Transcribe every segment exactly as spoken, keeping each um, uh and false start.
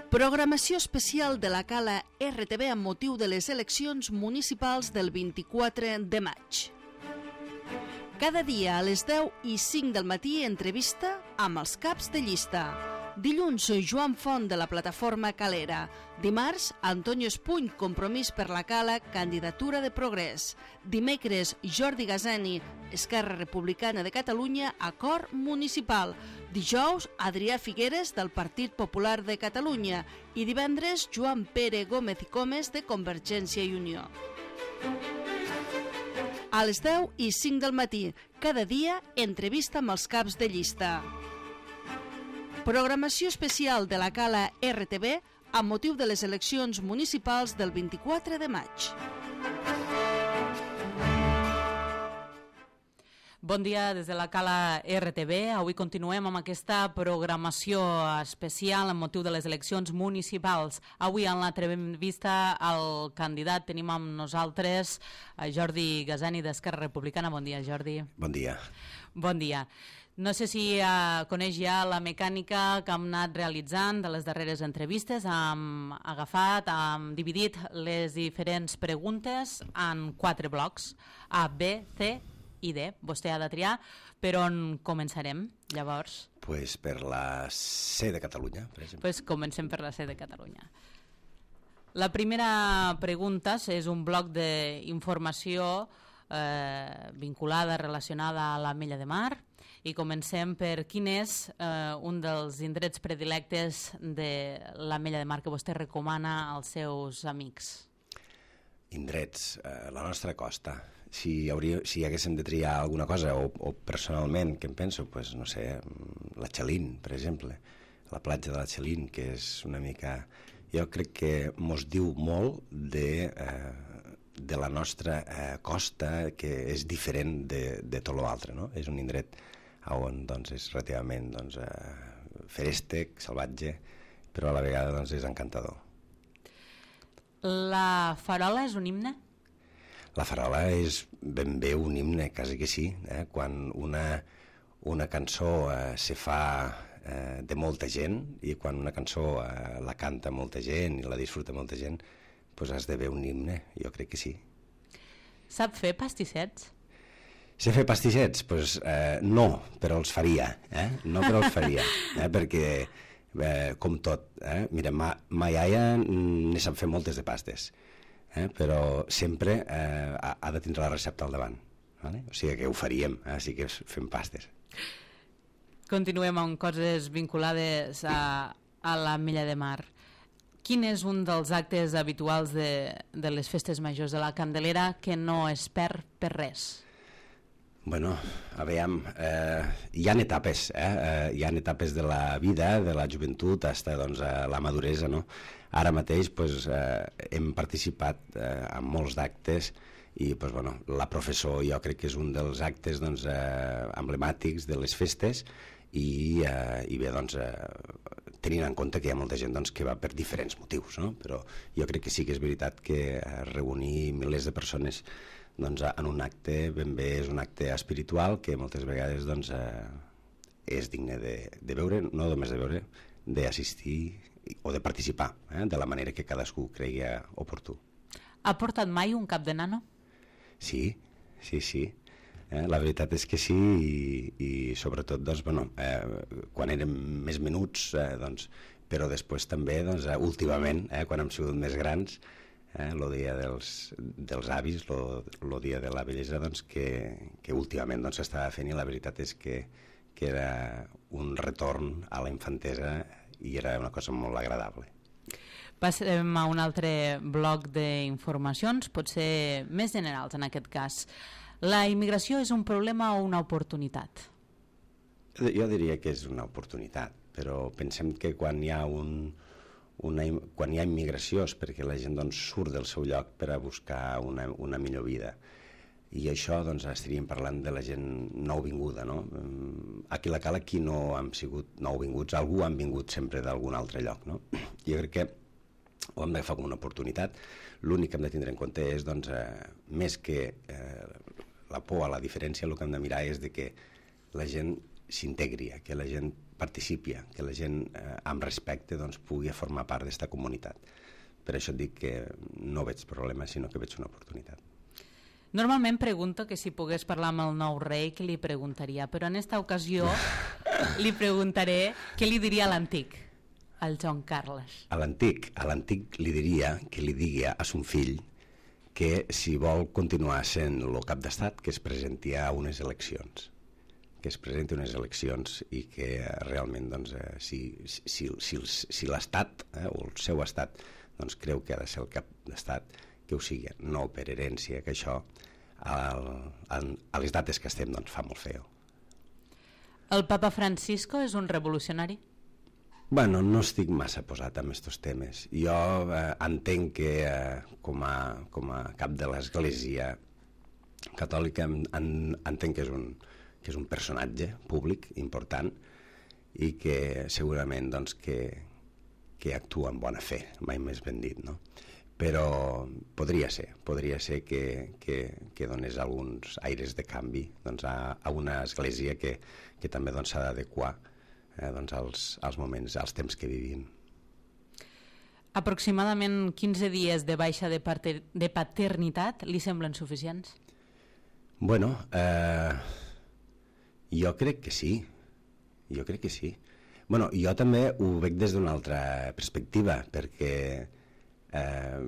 Programació especial de la Cala R T V amb motiu de les eleccions municipals del vint-i-quatre de maig. Cada dia a les deu i cinc del matí entrevista amb els caps de llista. Dilluns, Joan Font de la plataforma Calera. Dimarts, Antonio Espuny, Compromís per la Cala, candidatura de Progrés. Dimecres, Jordi Gazani, Esquerra Republicana de Catalunya, acord municipal. Dijous, Adrià Figueres, del Partit Popular de Catalunya. I divendres, Joan Pere Gómez i Comes, de Convergència i Unió. A les deu i cinc del matí, cada dia, entrevista amb els caps de llista. Programació especial de la Cala R T V amb motiu de les eleccions municipals del vint-i-quatre de maig. Bon dia des de la Cala R T V. Avui continuem amb aquesta programació especial amb motiu de les eleccions municipals. Avui en l'entrevista al candidat tenim amb nosaltres a Jordi Gazani d'Esquerra Republicana. Bon dia, Jordi. Bon dia. Bon dia. No sé si uh, coneix ja la mecànica que hem anat realitzant de les darreres entrevistes. Hem agafat, hem dividit les diferents preguntes en quatre blocs, A, B, C i D. Vostè ha de triar per on començarem, llavors. Pues per la C de Catalunya, per exemple. Pues comencem per la C de Catalunya. La primera pregunta és un bloc d'informació eh, vinculada, relacionada a l'Ametlla de Mar, i comencem per quin és eh, un dels indrets predilectes de l'Ametlla de Mar que vostè recomana als seus amics. Indrets, eh, la nostra costa. Si, hauria, si haguéssim de triar alguna cosa, o, o personalment, què em penso? Pues, no sé, la Xalín, per exemple, la platja de la Xalín, que és una mica... Jo crec que mos diu molt de, eh, de la nostra eh, costa, que és diferent de, de tot l'altre, no? És un indret on doncs, és relativament doncs, eh, ferèstec, salvatge, però a la vegada doncs, és encantador. La farola és un himne? La farola és ben bé un himne, quasi que sí. Eh? Quan una, una cançó eh, se fa eh, de molta gent, i quan una cançó eh, la canta molta gent i la disfruta molta gent, doncs has de veure un himne, jo crec que sí. Sap fer pastissets? Sé fer pastissets? Doncs eh, no, però els faria. Eh? No, però els faria, eh? perquè eh, com tot, eh? mira, ma, ma iaia ne sap fer moltes de pastes, eh? però sempre eh, ha, ha de tindre la recepta al davant, vale? O sigui que ho faríem, eh? sí que fem pastes. Continuem amb coses vinculades a, a l'Ametlla de Mar. Quin és un dels actes habituals de, de les festes majors de la Candelera que no es perd per res? Bueno, a veure, eh, hi ha etapes, eh? eh? hi ha etapes de la vida, de la joventut, fins doncs, a la maduresa, no? Ara mateix pues, eh, hem participat eh, en molts d'actes i pues, bueno, la professor jo crec que és un dels actes doncs, eh, emblemàtics de les festes i, eh, i bé, doncs, eh, tenint en compte que hi ha molta gent doncs, que va per diferents motius, no? Però jo crec que sí que és veritat que eh, reunir milers de persones doncs, en un acte ben bé és un acte espiritual que moltes vegades doncs, eh, és digne de, de veure, no només de veure, d'assistir o de participar, eh, de la manera que cadascú cregui oportú. Ha portat mai un cap de nano? Sí, sí, sí. Eh, la veritat és que sí, i, i sobretot doncs, bueno, eh, quan érem més menuts, eh, doncs, però després també doncs, eh, últimament, eh, quan hem sigut més grans, eh, el dia dels, dels avis, el dia de la bellesa, doncs, que, que últimament doncs, s'estava fent, i la veritat és que, que era un retorn a la infantesa i era una cosa molt agradable. Passem a un altre bloc d'informacions, potser més generals en aquest cas. La immigració és un problema o una oportunitat? Jo diria que és una oportunitat, però pensem que quan hi ha un Una, quan hi ha immigració és perquè la gent doncs, surt del seu lloc per a buscar una, una millor vida, i això doncs, estaríem parlant de la gent nouvinguda, no? Aquí a la Cala qui no han sigut nouvinguts, algú han vingut sempre d'algun altre lloc, no? Jo crec que ho hem d'agafar com una oportunitat. L'únic que hem de tindre en compte és doncs, eh, més que eh, la por a la diferència, el que hem de mirar és de que la gent s'integri, que la gent participi, que la gent eh, amb respecte doncs, pugui formar part d'esta comunitat. Per això et dic que no veig problema, sinó que veig una oportunitat. Normalment pregunto que si pogués parlar amb el nou rei, què li preguntaria, però en esta ocasió li preguntaré què li diria a l'antic, al Joan Carles. A l'antic, a l'antic li diria que li digui a son fill que si vol continuar sent el cap d'estat, que es presenti a unes eleccions, que es presenti a unes eleccions i que realment doncs, eh, si, si, si, si l'estat eh, o el seu estat doncs, creu que ha de ser el cap d'estat, que ho sigui, no per herència, que això al, a, a les dates que estem doncs, fa molt feo. El papa Francisco és un revolucionari? Bueno, no estic massa posat en aquests temes. Jo eh, entenc que eh, com, a, com a cap de l'Església catòlica en, en, entenc que és, un, que és un personatge públic important i que segurament doncs, que, que actua amb bona fe, mai més ben dit, no? Però podria ser, podria ser que, que, que donés alguns aires de canvi doncs, a, a una església que, que també doncs, s'ha d'adequar eh, doncs, als, als moments, als temps que vivim. Aproximadament quinze dies de baixa de, pater, de paternitat li semblen suficients? Bueno, eh, jo crec que sí, jo crec que sí. Bueno, jo també ho veig des d'una altra perspectiva, perquè Eh,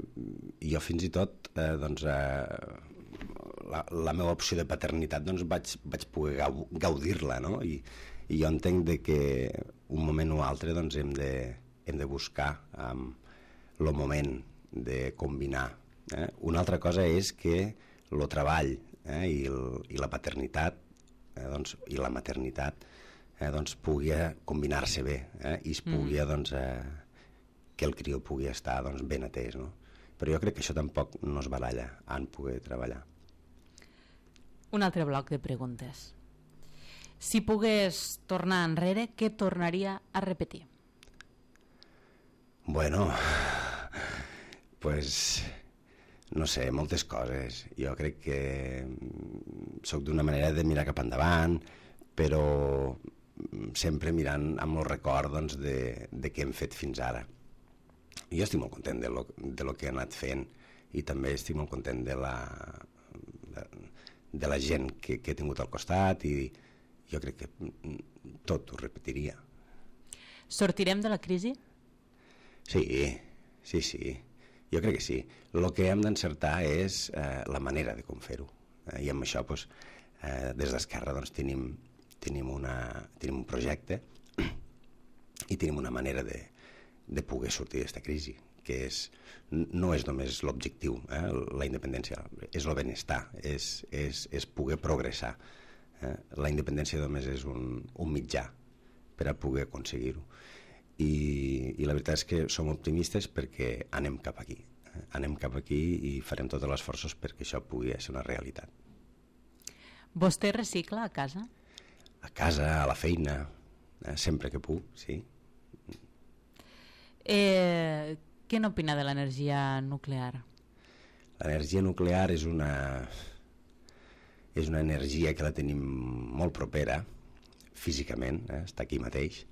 jo fins i tot eh, doncs, eh, la, la meva opció de paternitat doncs, vaig, vaig poder gau, gaudir-la, no? I, i jo entenc de que un moment o altre doncs, hem, de, hem de buscar um, el moment de combinar. Eh? Una altra cosa és que el treball eh, i, el, i la paternitat eh, doncs, i la maternitat eh, doncs, pugui combinar-se bé eh, i es pugui mm. doncs, eh, que el crió pugui estar doncs, ben atès, no? Però jo crec que això tampoc no es baralla en poder treballar. Un altre bloc de preguntes. Si pogués tornar enrere, què tornaria a repetir? Bueno, pues, no sé, moltes coses. Jo crec que soc d'una manera de mirar cap endavant, però sempre mirant amb el record doncs, de, de què hem fet fins ara. Jo estic molt content de lo, de lo que he anat fent i també estic molt content de la, de, de la gent que, que he tingut al costat i jo crec que tot ho repetiria. Sortirem de la crisi? Sí, sí, sí. Jo crec que sí. El que hem d'encertar és eh, la manera de com fer-ho. Eh, I amb això, doncs, eh, des d'Esquerra, doncs, tenim, tenim, una, tenim un projecte i tenim una manera de de poder sortir d'aquesta crisi, que és, no és només l'objectiu, eh, la independència, és el benestar, és, és, és poder progressar. Eh? La independència només és un, un mitjà per a poder aconseguir-ho. I, I la veritat és que som optimistes perquè anem cap aquí. Eh? Anem cap aquí i farem tots els esforços perquè això pugui ser una realitat. Vostè recicla a casa? A casa, a la feina, eh? Sempre que puc, sí. Eh, què n'opina de l'energia nuclear? L'energia nuclear és una, és una energia que la tenim molt propera, físicament, eh, està aquí mateix,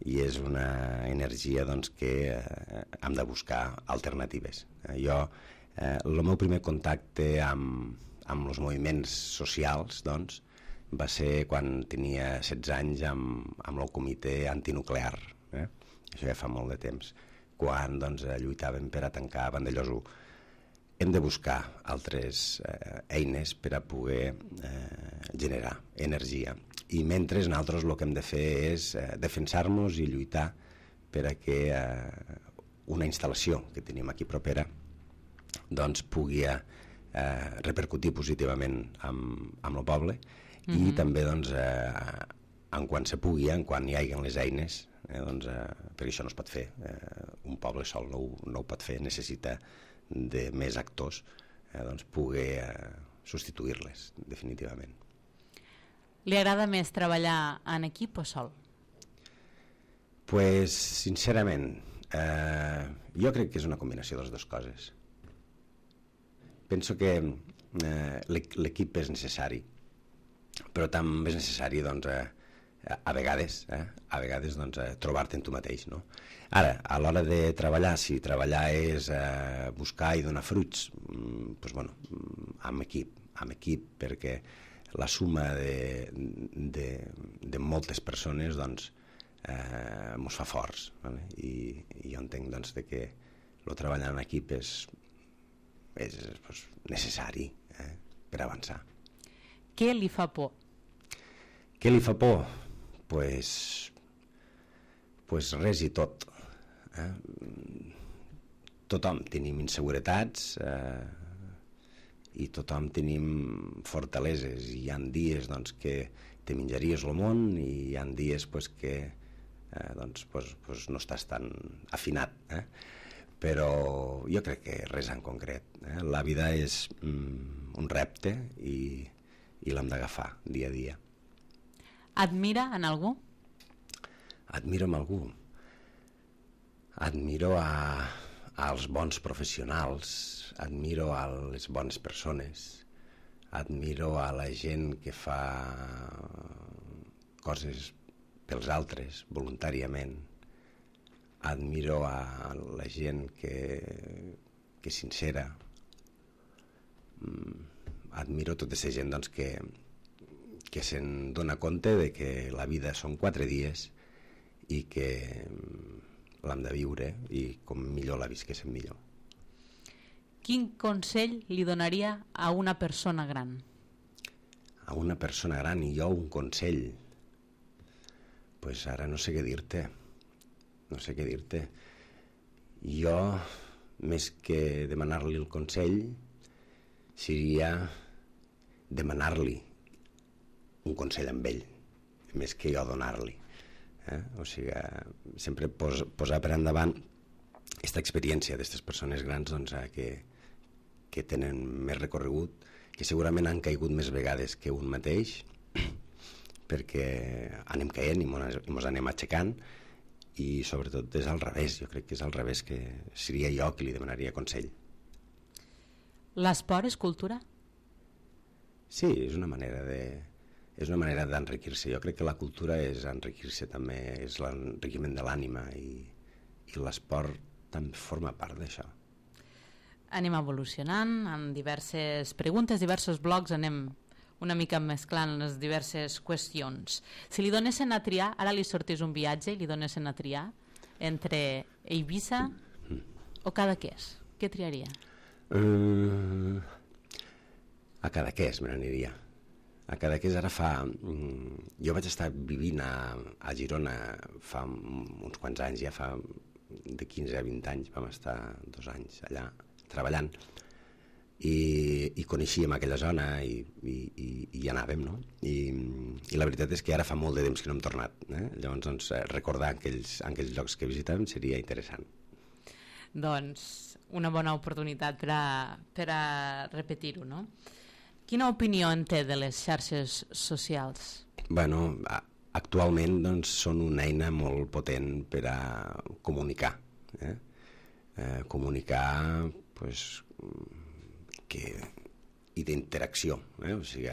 i és una energia doncs, que eh, hem de buscar alternatives. Eh, jo, eh, el meu primer contacte amb, amb els moviments socials doncs, va ser quan tenia setze anys amb, amb el comitè antinuclear, eh? Això ja fa molt de temps, quan doncs, lluitàvem per a tancar Vandellòs u. Hem de buscar altres eh, eines per a poder eh, generar energia. I mentre nosaltres el que hem de fer és eh, defensar-nos i lluitar per a que eh, una instal·lació que tenim aquí propera doncs, pugui eh, repercutir positivament amb, amb el poble mm-hmm. i també doncs, eh, en quan se pugui, en quan hi hagi les eines, Eh, doncs, eh, perquè això no es pot fer, eh, un poble sol no, no ho pot fer, necessita de més actors eh, doncs poder eh, substituir-les definitivament. Li agrada més treballar en equip o sol? Pues sincerament eh, jo crec que és una combinació de les dues coses. Penso que eh, l'equip és necessari, però també és necessari doncs, eh, a vegades, eh, a vegades doncs, eh, trobar-te en tu mateix, no? Ara, a l'hora de treballar, si treballar és eh, buscar i donar fruits, mm, doncs, bueno, amb equip, amb equip, perquè la suma de, de, de moltes persones doncs, eh, mos fa forts, vale? I, i jo entenc doncs, de que el treballar en equip és, és doncs, necessari eh, per avançar. Què li fa por? Què li fa por? Pues, pues res i tot. Eh? Tothom tenim inseguretats eh, i tothom tenim fortaleses, i hi ha dies doncs, que te menjaries el món i hi ha dies pues, que eh, doncs, pues, pues no estàs tan afinat. Eh? Però jo crec que res en concret. Eh? La vida és mm, un repte i, i l'hem d'agafar dia a dia. Admira en algú? Admiro en algú. Admiro a, als bons professionals, admiro a les bones persones, admiro a la gent que fa coses pels altres voluntàriament, admiro a la gent que, que és sincera, admiro tota aquesta gent doncs, que, que se'n dona compte de que la vida són quatre dies i que l'hem de viure i com millor la visquéssim millor. Quin consell li donaria a una persona gran? A una persona gran, i jo un consell? Pues ara no sé què dir-te. No sé què dir-te. Jo, més que demanar-li el consell, seria demanar-li un consell amb ell, més que jo donar-li. Eh? O sigui, sempre pos, posar per endavant aquesta experiència d'aquestes persones grans doncs, eh, que, que tenen més recorregut, que segurament han caigut més vegades que un mateix, perquè anem caient i ens anem aixecant, i sobretot és al revés. Jo crec que és al revés, que seria jo qui li demanaria consell. L'esport és cultura? Sí, és una manera de... és una manera d'enriquir-se. Jo crec que la cultura és enriquir-se també, és l'enriquiment de l'ànima, i, i l'esport també forma part d'això. Anem evolucionant amb diverses preguntes, diversos blocs, anem una mica mesclant les diverses qüestions. Si li donessin a triar, ara li sortís un viatge i li donessin a triar entre Eivissa mm. o Cadaqués, què triaria? Uh, a Cadaqués me n'aniria. A Cadaqués ara fa... Jo vaig estar vivint a, a Girona fa uns quants anys, ja fa de quinze a vint anys, vam estar dos anys allà treballant, i, i coneixíem aquella zona i, i, i, i hi anàvem, no? I, I la veritat és que ara fa molt de temps que no hem tornat. Eh? Llavors, doncs, recordar aquells, aquells llocs que visitàvem seria interessant. Doncs una bona oportunitat per a, per a repetir-ho, no? Quina opinió en té de les xarxes socials? Bueno, actualment doncs, són una eina molt potent per a comunicar. Eh? Eh, comunicar pues, que, i d'interacció. Eh? O sigui,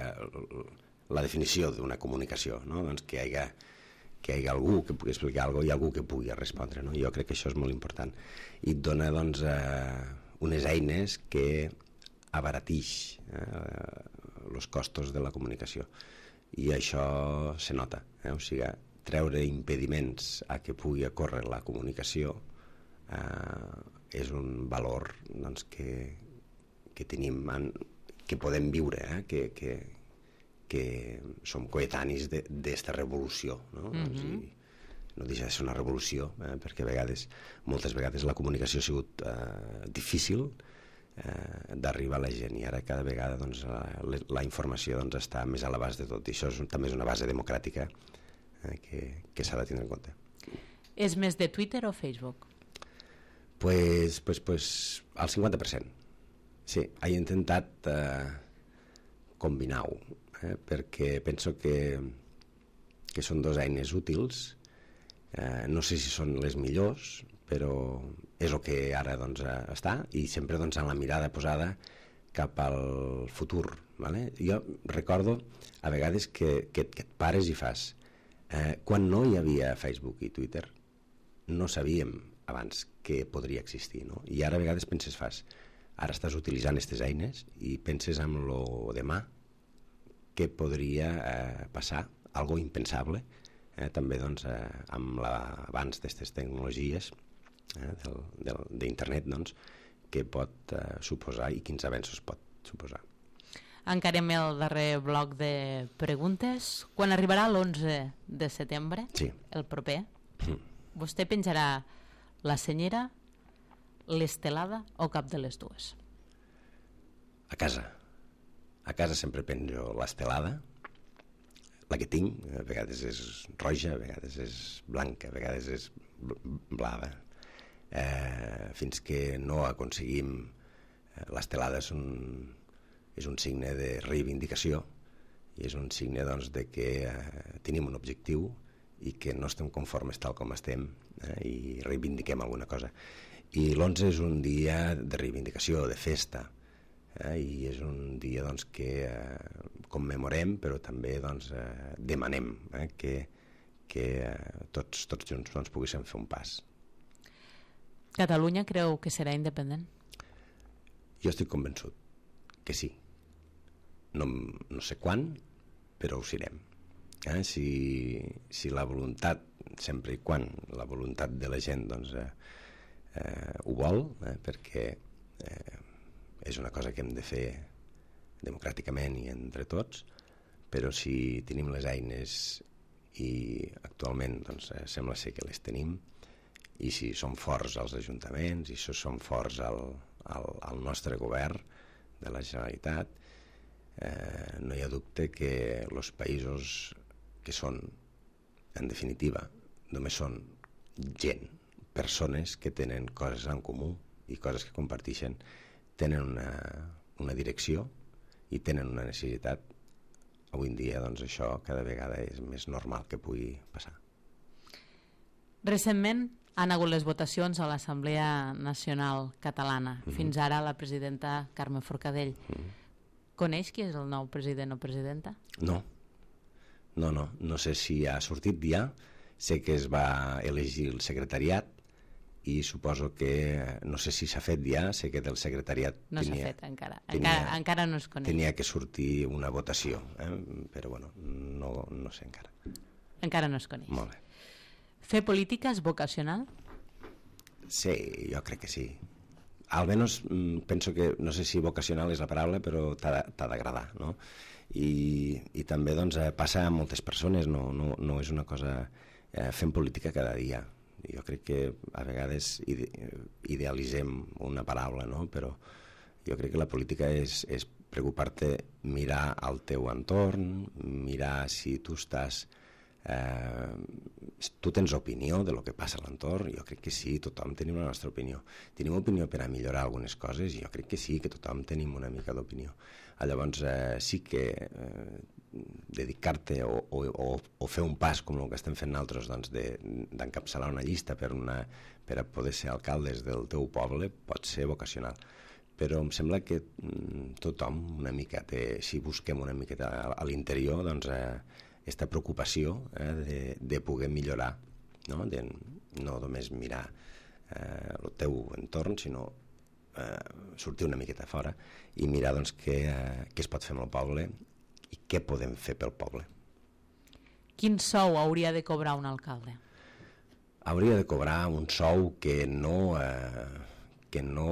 la definició d'una comunicació, no? Doncs que hi hagi, que hi hagi algú que pugui explicar alguna cosa i algú que pugui respondre. No? Jo crec que això és molt important. I et dona doncs, eh, unes eines que abaratix els eh, costos de la comunicació, i això se nota, eh? O sigui, treure impediments a que pugui ocórrer la comunicació eh, és un valor doncs, que, que tenim, en, que podem viure, eh? que, que, que som coetanis d'esta revolució, no? Mm-hmm. O sigui, no deixa de ser una revolució, eh? perquè a vegades, moltes vegades la comunicació ha sigut eh, difícil eh, d'arribar a la gent, i ara cada vegada doncs, la, la informació doncs, està més a l'abast de tot, i això és, també és una base democràtica eh, que, que s'ha de tenir en compte. És més de Twitter o Facebook? Pues, pues, pues al cinquanta per cent. Sí, he intentat eh, combinar-ho, eh, perquè penso que, que són dues eines útils. Eh, no sé si són les millors, però és el que ara doncs, està, i sempre doncs, amb la mirada posada cap al futur. Vale? Jo recordo a vegades que, que, que et pares i fas Eh, quan no hi havia Facebook i Twitter, no sabíem abans què podria existir, no? I ara a vegades penses, fas, ara estàs utilitzant aquestes eines i penses en lo demà, què podria eh, passar, algo impensable, eh, també doncs, eh, amb l'avanç d'aquestes tecnologies eh, d'internet, doncs, què pot eh, suposar i quins avenços pot suposar. Encarem el darrer bloc de preguntes. Quan arribarà l'onze de setembre, sí. el proper, mm. vostè penjarà la senyera, l'estelada o cap de les dues? A casa. A casa sempre penjo l'estelada, la que tinc, a vegades és roja, a vegades és blanca, a vegades és blava. Eh, fins que no aconseguim... Eh, l'estelada és un... és un signe de reivindicació i és un signe doncs, de que eh, tenim un objectiu i que no estem conformes tal com estem eh, i reivindiquem alguna cosa. I l'onze és un dia de reivindicació, de festa, eh, i és un dia doncs, que eh, commemorem però també doncs, eh, demanem eh, que, que eh, tots, tots junts doncs, poguéssim fer un pas. Catalunya creu que serà independent? Jo estic convençut que sí. No, no sé quan, però ho serem. Eh? Si, si la voluntat, sempre i quan la voluntat de la gent doncs, eh, eh, ho vol, eh? perquè eh, és una cosa que hem de fer democràticament i entre tots, però si tenim les eines i actualment doncs, eh, sembla ser que les tenim, i si som forts als ajuntaments, i si som forts al, al, al nostre govern de la Generalitat, eh, no hi ha dubte que els països que són, en definitiva, només són gent, persones que tenen coses en comú i coses que comparteixen, tenen una, una direcció i tenen una necessitat. Avui en dia doncs, això cada vegada és més normal que pugui passar. Recentment han hagut les votacions a l'Assemblea Nacional Catalana. Mm-hmm. Fins ara la presidenta Carme Forcadell. Mm-hmm. Coneix qui és el nou president o presidenta? No. No, no. No sé si ha sortit ja. Sé que es va elegir el secretariat i suposo que, no sé si s'ha fet ja, sé que del secretariat no tenia, s'ha fet encara. Tenia, encara. Encara no es coneix. Tenia que sortir una votació, eh? Però bueno, no, no sé encara. Encara no es coneix. Molt bé. Fer política és vocacional? Sí, jo crec que sí. Almenys penso que, no sé si vocacional és la paraula, però t'ha d'agradar, no? I, i també doncs, passa a moltes persones, no, no, no és una cosa... Eh, fem política cada dia. Jo crec que a vegades ide idealitzem una paraula, no? Però jo crec que la política és, és preocupar-te, mirar al teu entorn, mirar si tu estàs... Eh, tu tens opinió de lo que passa a l'entorn. Jo crec que sí, tothom tenim la nostra opinió. Tenim opinió per a millorar algunes coses i jo crec que sí, que tothom tenim una mica d'opinió. Llavors eh, sí que eh, dedicar-te o, o, o, o fer un pas com el que estem fent nosaltres, doncs, d'encapçalar una llista per, una, per a poder ser alcaldes del teu poble pot ser vocacional. Però em sembla que mm, tothom una mica té, si busquem una miqueta a, a l'interior, doncs eh, aquesta preocupació eh, de, de poder millorar, no, de, no només mirar eh, el teu entorn, sinó eh, sortir una miqueta fora i mirar doncs, què, eh, què es pot fer amb el poble i què podem fer pel poble. Quin sou hauria de cobrar un alcalde? Hauria de cobrar un sou que no, eh, que no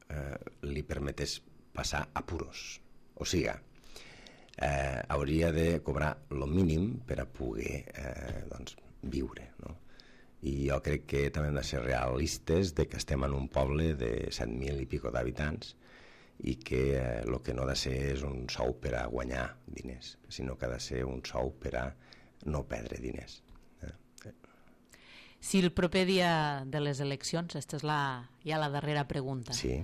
eh, li permetés passar apuros. O sigui, Eh, hauria de cobrar el mínim per a poder eh, doncs, viure, no? I jo crec que també hem de ser realistes de que estem en un poble de set mil i pico d'habitants i que el eh, que no ha de ser és un sou per a guanyar diners, sinó que ha de ser un sou per a no perdre diners. Eh? Si el proper dia de les eleccions, aquesta és la, ja la darrera pregunta, sí.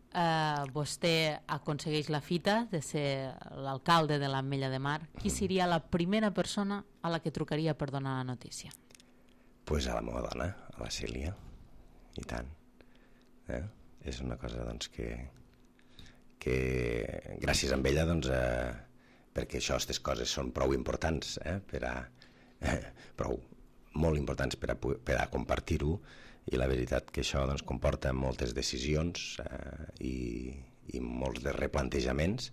Uh, vostè aconsegueix la fita de ser l'alcalde de l'Ametlla de Mar, qui seria la primera persona a la que trucaria per donar la notícia? Pues a la meva dona, a la Cèlia, i tant. Eh? És una cosa doncs, que, que gràcies a ella, doncs, eh, perquè això, aquestes coses són prou importants eh, per, a, eh, prou molt importants per a, per a compartir-ho, i la veritat que això doncs, comporta moltes decisions eh, i, i molts de replantejaments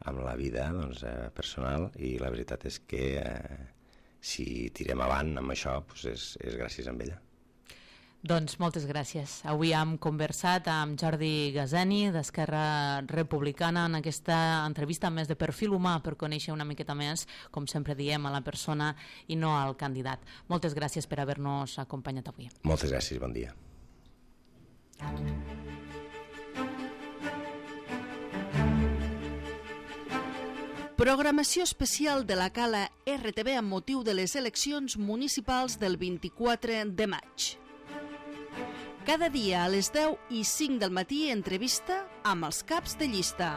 amb la vida doncs, eh, personal, i la veritat és que eh, si tirem avant amb això doncs és, és gràcies a ella. Doncs moltes gràcies. Avui hem conversat amb Jordi Gazeni d'Esquerra Republicana en aquesta entrevista més de perfil humà per conèixer una miqueta més, com sempre diem, a la persona i no al candidat. Moltes gràcies per haver-nos acompanyat avui. Moltes gràcies, bon dia. Programació especial de la Cala R T V amb motiu de les eleccions municipals del vint-i-quatre de maig. Cada dia a les deu i cinc del matí entrevista amb els caps de llista.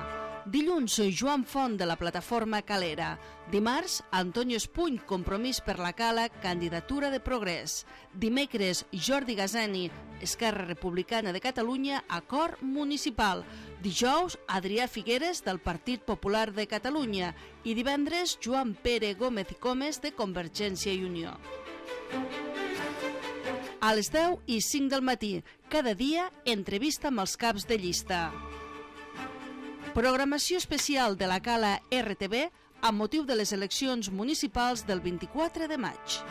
Dilluns, Joan Font de la plataforma Calera. Dimarts, Antonio Espuny, Compromís per la Cala, candidatura de Progrés. Dimecres, Jordi Gazeni, Esquerra Republicana de Catalunya, acord municipal. Dijous, Adrià Figueres, del Partit Popular de Catalunya. I divendres, Joan Pere Gómez i Comes, de Convergència i Unió. A les deu i cinc del matí, cada dia, entrevista amb els caps de llista. Programació especial de la Cala R T V amb motiu de les eleccions municipals del vint-i-quatre de maig.